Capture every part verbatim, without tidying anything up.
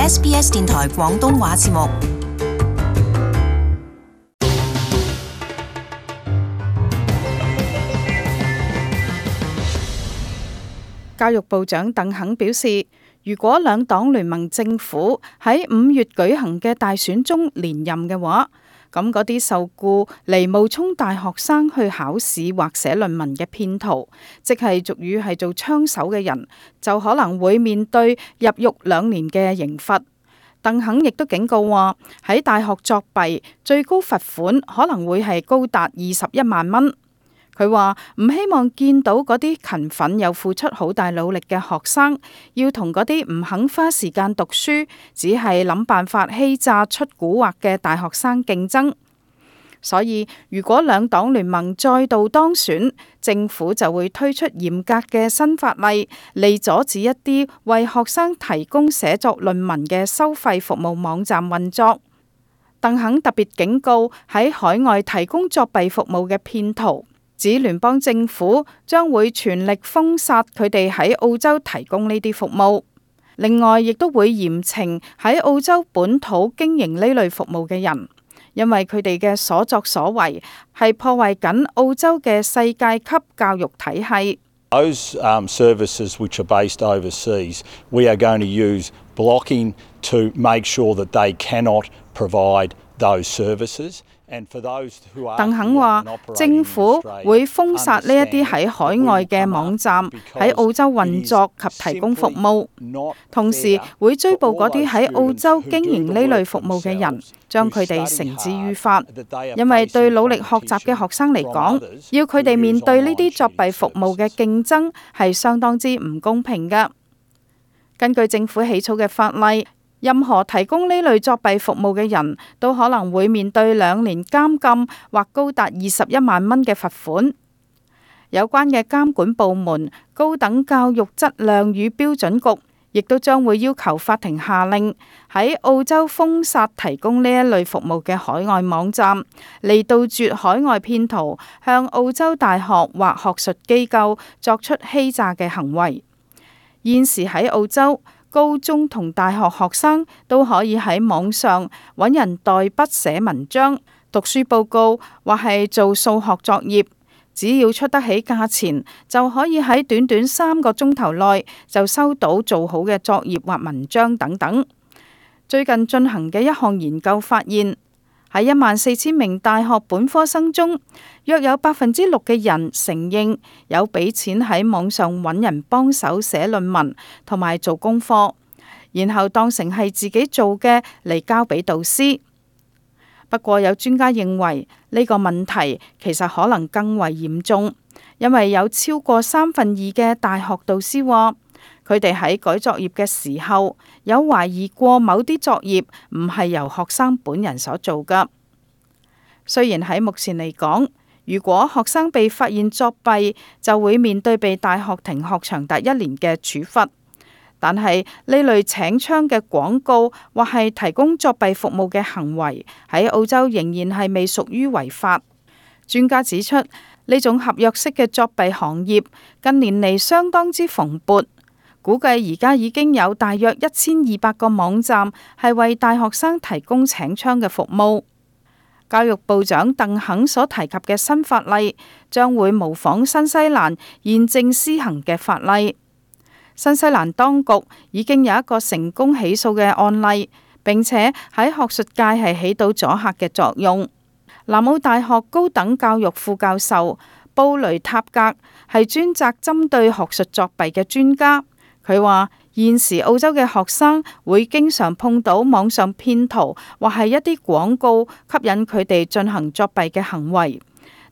S B S 電台廣東話節目。教育部長鄧肯表示，如果兩黨聯盟政府喺五月舉行嘅大選中連任嘅話，咁嗰啲受雇嚟冒充大學生去考試或寫論文嘅騙徒，即係俗語係做槍手嘅人，就可能會面對入獄兩年嘅刑罰。鄧肯亦都警告話，喺大學作弊，最高罰款可能會係高達二十一萬蚊。佢話唔希望見到嗰啲勤奮又付出好大努力嘅學生，要同嗰啲唔肯花時間讀書，只係諗辦法欺詐出蠱惑嘅大學生競爭。所以如果兩黨聯盟再度當選，政府就會推出嚴格嘅新法例嚟阻止一啲為學生提供寫作論文嘅收費服務網站運作。鄧肯特別警告喺海外提供作弊服務嘅騙徒，指聯邦政府將會全力封殺佢哋喺澳洲提供呢啲服務。另外，亦都會嚴懲喺澳洲本土經營呢類服務嘅人，因為佢哋嘅所作所為係破壞緊澳洲嘅世界級教育體系。Those um, services which are based overseas, we are going to use blocking to make sure that they cannot provide those services. 鄧肯話，政府會封殺呢一啲喺海外嘅網站喺澳洲運作及提供服務，同時會追捕嗰啲喺澳洲經營呢類服務嘅人，將佢哋繩之於法。因為對努力學習嘅學生嚟講，要佢哋面對呢啲作弊服務嘅競爭係相當之唔公平㗎。根據政府起草嘅法例，任何提供呢類作弊服務嘅人都可能會面對兩年監禁或高達二十一萬蚊嘅罰款。有關嘅監管部門高等教育質量與標準局亦都將會要求法庭下令喺澳洲封殺提供呢一類服務嘅海外網站，嚟杜絕海外騙徒向澳洲大學或學術機構作出欺詐嘅行為。現時喺澳洲，高中同大學學生都可以喺網上揾人代筆寫文章、讀書報告或係做數學作業，只要出得起價錢，就可以喺短短三個鐘頭內就收到做好嘅作業或文章等等。最近進行嘅一項研究發現，喺一萬四千名大學本科生中，約有百分之六嘅人承認有俾錢喺網上揾人幫手寫論文同埋做功課，然後當成係自己做嘅嚟交俾導師。不過有專家認為呢個問題其實可能更為嚴重，因為有超過三分二嘅大學導師話，佢哋喺改作業嘅時候有懷疑過某啲作業唔係由學生本人所做㗎。雖然喺目前嚟講，如果學生被發現作弊，就會面對被大學停學長達一年嘅處罰，但係呢類請槍嘅廣告或係提供作弊服務嘅行為喺澳洲仍然係未屬於違法。專家指出，呢種合約式嘅作弊行業近年嚟相當之蓬勃，估計而家已經有大約一千二百個網站係為大學生提供請槍嘅服務。教育部長鄧肯所提及嘅新法例將會模仿新西蘭現正施行嘅法例。新西蘭當局已經有一個成功起訴嘅案例，並且喺學術界係起到阻嚇嘅作用。南澳大學高等教育副教授布雷塔格係專責針對學術作弊嘅專家，佢話現時澳洲嘅學生會經常碰到網上騙徒或係一啲廣告吸引佢哋進行作弊嘅行為，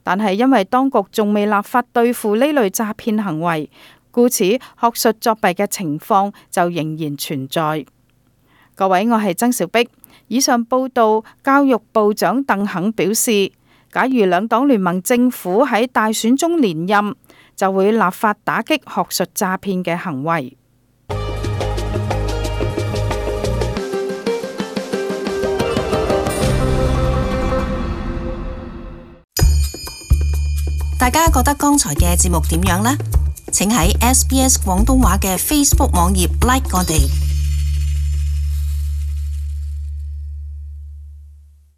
但係因為當局仲未立法對付呢類詐騙行為，故此學術作弊嘅情況就仍然存在。各位，我係曾兆碧。以上報道，教育部長鄧肯表示，假如兩黨聯盟政府喺大選中連任，就會立法打擊學術詐騙嘅行為。大家覺得剛才嘅節目點樣呢？請喺 S B S 廣東話嘅 Facebook 網頁 like 我哋。